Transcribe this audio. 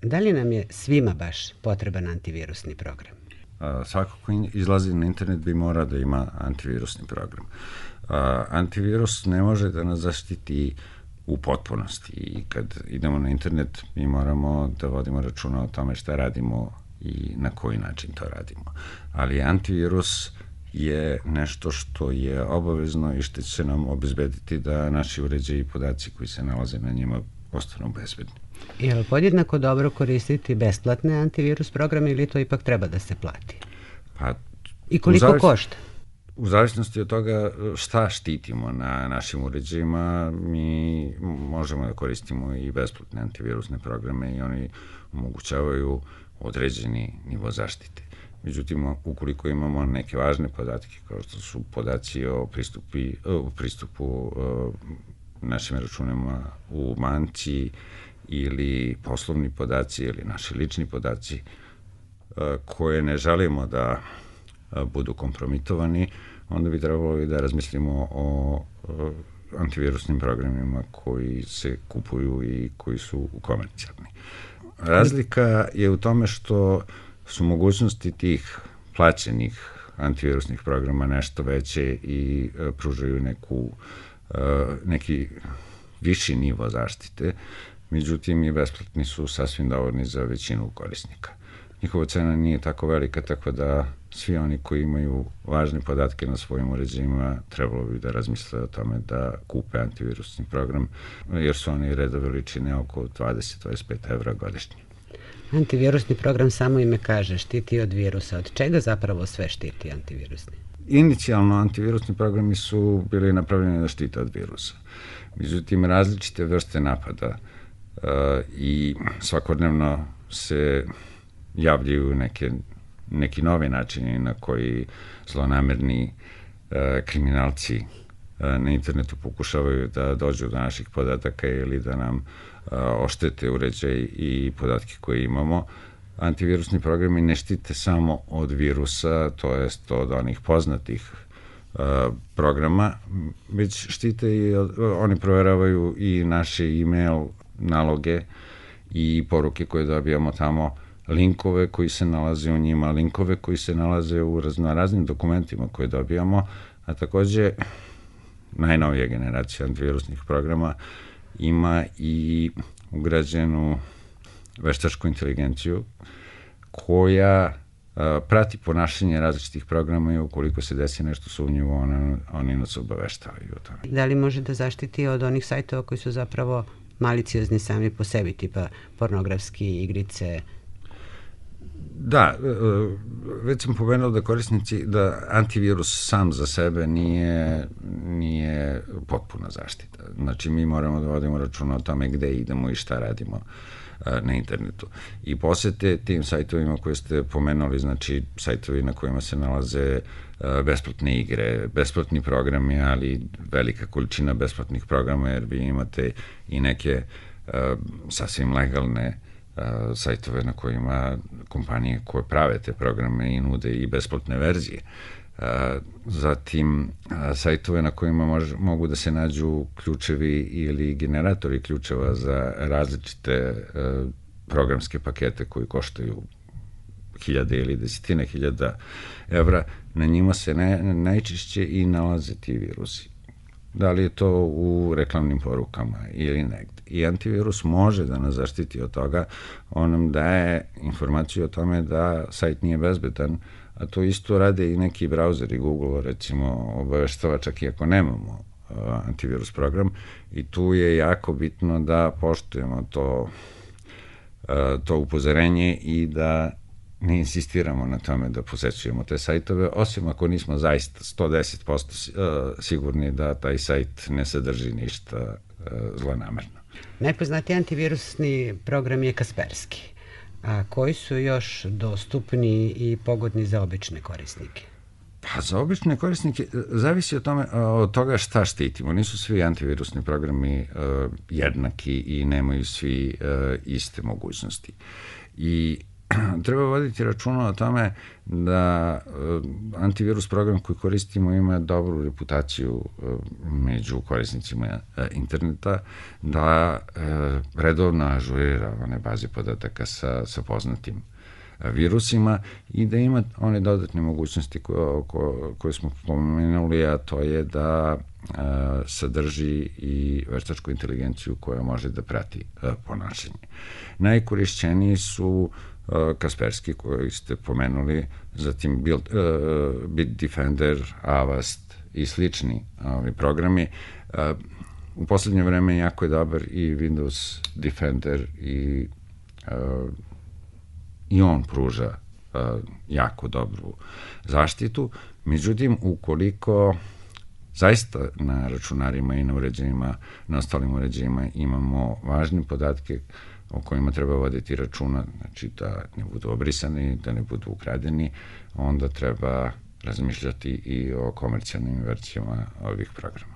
Da li nam je svima baš potreban antivirusni program? Svako ko izlazi na internet bi mora da ima antivirusni program. Antivirus ne može da nas zaštiti u potpunosti i kad idemo na internet mi moramo da vodimo računa o tome šta radimo i na koji način to radimo. Ali antivirus je nešto što je obavezno i što će nam obezbediti da naši uređaji i podaci koji se nalaze na njima ostanu bezbedni. Je li podjednako dobro koristiti besplatne antivirus programe ili to ipak treba da se plati? I koliko košta? U zavisnosti od toga šta štitimo na našim uređajima, mi možemo da koristimo i besplatne antivirusne programe i oni omogućavaju određeni nivo zaštite. Međutim, ukoliko imamo neke važne podatke, kao što su podaci o pristupu našim računima u banci ili poslovni podaci ili naši lični podaci koje ne želimo da budu kompromitovani, onda bi trebalo i da razmislimo o antivirusnim programima koji se kupuju i koji su komercijalni. Razlika je u tome što su mogućnosti tih plaćenih antivirusnih programa nešto veće i pružaju neki viši nivo zaštite, međutim i besplatni su sasvim dovoljni za većinu korisnika. Njihova cena nije tako velika, tako da svi oni koji imaju važne podatke na svojim uređajima trebalo bi da razmisle o tome da kupe antivirusni program, jer su oni reda veličine oko 20-25 evra godišnje. Antivirusni program, samo ime kaže, štiti od virusa. Od čega zapravo sve štiti antivirusni? Inicijalno antivirusni programi su bili napravljeni da štite od virusa. Međutim, različite vrste napada i svakodnevno se javljaju neki novi načini na koji zlonamerni kriminalci na internetu pokušavaju da dođu do naših podataka ili da nam oštete uređaj i podatke koje imamo. Antivirusni programi ne štite samo od virusa, to jest od onih poznatih programa, već štite i oni proveravaju i naše e-mail naloge i poruke koje dobijamo tamo, linkove koji se nalaze u njima, linkove koji se nalaze u raznim dokumentima koje dobijamo, a takođe najnovija generacija antivirusnih programa ima i ugrađenu veštačku inteligenciju koja prati ponašanje različitih programa i ukoliko se desi nešto sumnjivo, oni nas obaveštavaju o tome. Da li može da zaštiti od onih sajtova koji su zapravo maliciozni sami po sebi, tipa pornografski, igrice? Da, već sam pomenuo da antivirus sam za sebe nije potpuna zaštita. Znači, mi moramo da vodimo računa o tome gde idemo i šta radimo na internetu. I posete tim sajtovima koje ste pomenuli, znači sajtovi na kojima se nalaze besplatne igre, besplatni programi, ali velika količina besplatnih programa, jer vi imate i neke sasvim legalne sajtove na kojima kompanije koje prave te programe i nude i besplatne verzije. Zatim sajtove na kojima mogu da se nađu ključevi ili generatori ključeva za različite programske pakete koji koštaju hiljade ili desetine hiljada evra. Na njima se najčešće i nalaze ti virusi. Da li je to u reklamnim porukama ili negde. I antivirus može da nas zaštiti od toga, on nam daje informaciju o tome da sajt nije bezbedan, a to isto rade i neki brauzeri, Google recimo obaveštava čak i ako nemamo antivirus program, i tu je jako bitno da poštujemo to upozorenje i da ne insistiramo na tome da posećujemo te sajtove, osim ako nismo zaista 110% sigurni da taj sajt ne sadrži ništa zlonamerno. Najpoznatiji antivirusni program je Kaspersky. A koji su još dostupni i pogodni za obične korisnike? Pa za obične korisnike zavisi od toga šta štitimo. Nisu svi antivirusni programi jednaki i nemaju svi iste mogućnosti. I treba voditi računa o tome da antivirus program koji koristimo ima dobru reputaciju među korisnicima interneta, da redovno ažurira one baze podataka sa poznatim virusima i da ima one dodatne mogućnosti koje smo pomenuli, a to je da sadrži i veštačku inteligenciju koja može da prati ponašanje. Najkorišćeniji su Kaspersky, koji ste pomenuli, zatim Bitdefender, Avast i slični programi. U poslednje vreme jako je dobar i Windows Defender i on pruža jako dobru zaštitu. Međutim, ukoliko zaista na računarima i na uređajima, na ostalim uređajima imamo važne podatke o kojima treba voditi računa, znači da ne budu obrisani, da ne budu ukradeni, onda treba razmišljati i o komercijalnim verzijama ovih programa.